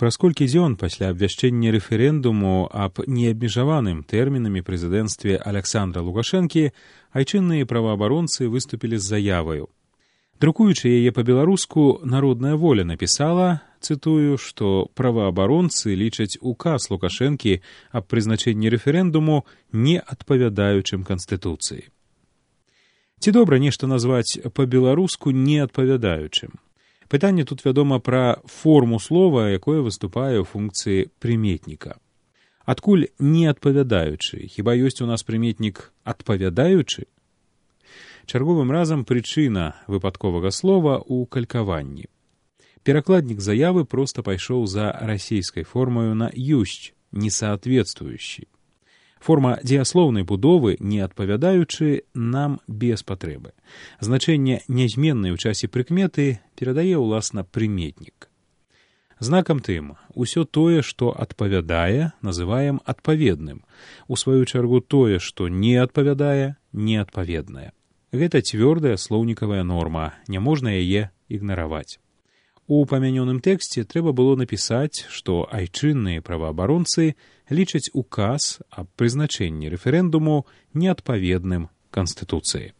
Праз колькі дзён пасля абвяшчэння рэферэндуму аб неабмежаваным тэрмінамі прэзідэнцтве Аляксандра Лукашэнкі айчынныя праваабаронцы выступілі з заяваю. Друкуючы яе па-беларуску, «Народная воля» напісала, цытую, што праваабаронцы лічаць указ Лукашэнкі аб прызначэнні рэферэндуму не адпавядаючым Канстытуцыі. Ці добра нешта назваць па-беларуску неадпавядаючым? Пытанне тут, вядома, пра форму слова, якое выступае ў функцыі прыметніка. Адкуль неадпавядаючы? Хіба ёсць у нас прыметнік адпавядаючы? Чарговым разам прычына выпадковага слова ў калькаванні. Перакладнік заявы проста пайшоў за расійскай формаю на «ёсць», несоответствующий. Форма дзеяслоўнай будовы, не адпавядаючы, нам без патрэбы. Значэнне нязменнай у часе прыкметы перадае, уласна, прыметнік. Знакам тым, усё тое, што адпавядае, называем адпаведным. У сваю чаргу тое, што не адпавядае, неадпаведнае. Гэта цвёрдая слоўнікавая норма, няможна яе ігнараваць. У памянёным тэксце трэба было напісаць, што айчынныя праваабаронцы лічаць указ аб прызначэнні рэферэндуму неадпаведным Канстытуцыі.